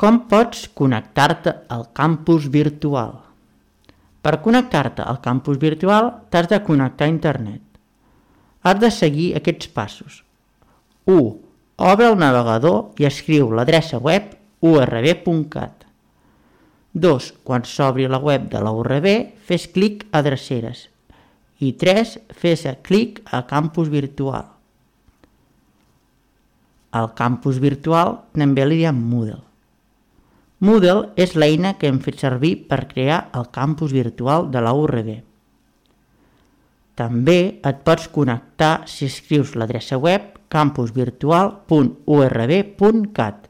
Com pots connectar-te al campus virtual? Per connectar-te al campus virtual t'has de connectar a internet. Has de seguir aquests passos. 1. Obre el navegador i escriu l'adreça web urb.cat. 2. Quan s'obri la web de la URB, fes clic a Dreceres. I 3. Fes clic a campus virtual. Al campus virtual també li diem Moodle. Moodle és l'eina que hem fet servir per crear el campus virtual de la URB. També et pots connectar si escrius l'adreça web campusvirtual.urb.cat.